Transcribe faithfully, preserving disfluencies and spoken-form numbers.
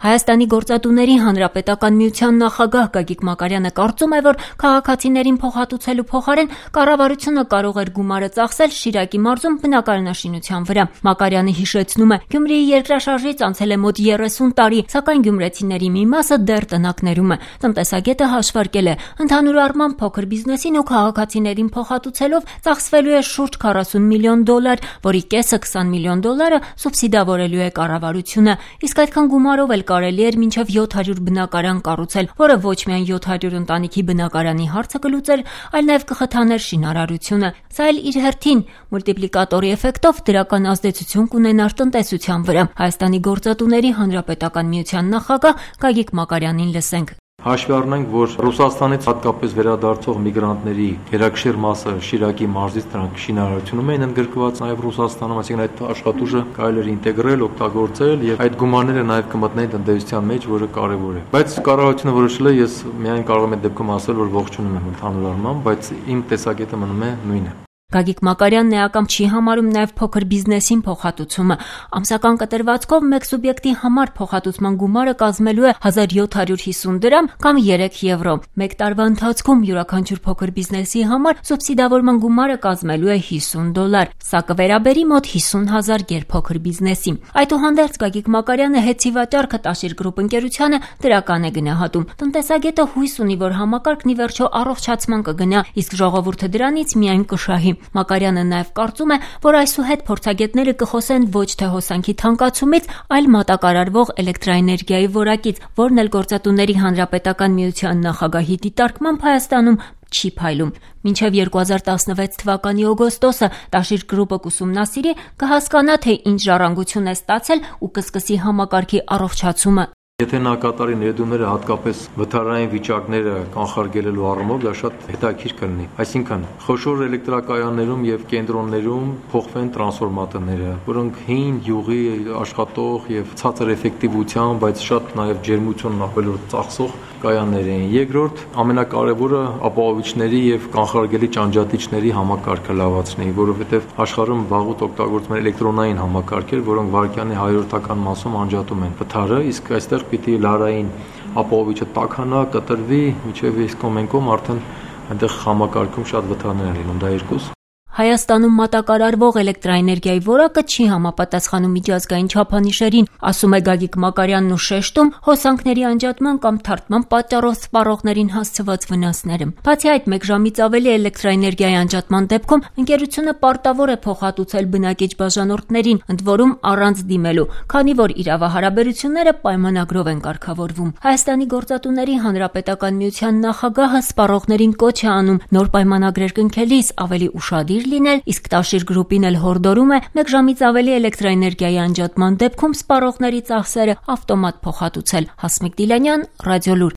Հայաստանի գործատուների հանրապետական միության նախագահ Գագիկ Մակարյանը կարծում է, որ քաղաքացիներին փոխհատուցելու փոխարեն կառավարությունը կարող էր գումարը ծախսել Շիրակի մարզում բնակարանաշինության վրա։ Մակարյանը հիշեցնում է, Գյումրիի երկրաշարժից անցել է մոտ երեսուն տարի, սակայն գյումրեցիների մի մասը դեռ տնակներում է։ Տնտեսագետը հաշվարկել է, ընդհանուր առմամբ փոքր բիզնեսին ու քաղաքացիներին փոխհատուցելով ծախսվելու է շուրջ քառասուն միլիոն դոլար, որի կեսը քսան միլիոն դոլարը սուբսիդավորելու է կառավարությունը։ Իսկ այդքան գումարով էլ կարելի էր մինչև յոթ հարյուր բնակարան կառուցել, որը ոչ միայն յոթ հարյուր ընտանիքի բնակարանի հարցը կլուծեր, այլ նաև կխթաներ շինարարությունը։ Սա էլ իր հերթին մուլտիպլիկատորի էֆեկտով դրական ազդեցություն կունենար տնտեսության վրա։ Հայաստանի գործատուների հանրապետական միության նախագահ Գագիկ Մակարյանին լսենք։ Հաշվի առնենք, որ Ռուսաստանից հատկապես վերադարձող միգրանտների գերակշիռ մասը Շիրակի մարզից դրանք շինարարությունում էին ընդգրկված նաև Ռուսաստանում, այսինքն այդ աշխատուժը կարելի էր ինտեգրել, օգտագործել եւ այդ գումարները նաև կմտնեին տնտեսության մեջ, որը կարեւոր է։ Բայց կառավարությունը որոշել է, ես միայն կարող եմ այդ դեպքում ասել, որ ողջունում եմ ընդհանուր առմամբ, բայց իմ տեսակետը մնում է նույնը։ Գագիկ Մակարյանն էական չի համարում նաև փոքր բիզնեսին փոխհատուցումը։ Ամսական կտրվածքով մեկ սուբյեկտի համար փոխհատուցման գումարը կազմելու է հազար յոթ հարյուր հիսուն դրամ կամ երեք եվրո։ Մեկ տարվա ընթացքում յուրաքանչյուր փոքր բիզնեսի համար սուբսիդավորման գումարը կազմելու է հիսուն դոլար։ Սա կվերաբերի մոտ հիսուն հազար գերփոքր բիզնեսի։ Այդուհանդերձ Գագիկ Մակարյանը հետցի վաճառքը Տաշիր գրուպ ընկերությանը դրական է գնահատում։ Տնտեսագետը հույս ունի, որ համակարգն ի վերջո առողջացման կգնա, իսկ ժողովուրդը դրանից միայն կշահի։ Մակարյանը նաև կարծում է, որ այսուհետ փորձագետները կխոսեն ոչ թե հոսանքի թանկացումից, այլ մատակարարվող էլեկտրաէներգիայի որակից, որն էլ գործատուների հանրապետական միության նախագահի դիտարկմամբ Հայաստանում չի փայլում։ Մինչև երկու հազար տասնվեց թվականի օգոստոսը Տաշիր գրուպը կուսումնասիրի, կհասկանա, թե ինչ ժառանգություն է ստացել ու կսկսի համակարգի առողջացումը։ Եթե նա կատարի ներդրումները հատկապես վթարային վիճակները կանխարգելելու առումով, դա շատ հետաքրքիր կլինի։ Այսինքն, խոշոր էլեկտրակայաններում եւ կենտրոններում փոխվեն տրանսֆորմատորները, որոնք հին, յուղի աշխատող եւ ցածր էֆեկտիվության, բայց շատ նաեւ ջերմությունն ավելորդ ծախսող կայաններ են։ Երկրորդ, ամենակարևորը ապահովիչների եւ կանխարգելի ճանջատիչների համակարգը լավացնի, որովհետեւ աշխարհում վաղուց օգտագործվում են էլեկտրոնային համակարգեր, որոնք վարկյանի հարյուրտական մասում անջատում են վթարը, իսկ այստեղ պիտի լարային ապահովիչը տաքանա, կտրվի, միջև իսկ կոմենկոմ արդեն այնտեղ համակարգում շատ վթարներ են լինում, դա երկուս։ Հայաստանում մատակարարվող էլեկտրաէներգիայի որակը չի համապատասխանում միջազգային չափանիշերին, ասում է Գագիկ Մակարյանն ու շեշտում հոսանքների անջատման կամ թարթման պատճառով սպառողներին հասցված վնասները։ Բացի այդ, մեկ ժամից ավելի էլեկտրաէներգիայի անջատման դեպքում ընկերությունը պարտավոր է փոխհատուցել բնակիչ բաժանորդներին, ընդ որում առանց դիմելու, քանի որ իրավահարաբերությունները պայմանագրով են կարգավորվում։ Հայաստանի գործատուների հանրապետական միության նախագահը սպառողներին կոչ է անում նոր պայմանագրեր կնքելիս ավելի ուշադիր լինել, իսկ Տաշիր գրուպին էլ հորդորում է մեկ ժամից ավելի էլեկտրաէներգիայի անջատման դեպքում սպառողների ծախսերը ավտոմատ փոխհատուցել։ Հասմիկ Դիլանյան, Ռադիոլուր։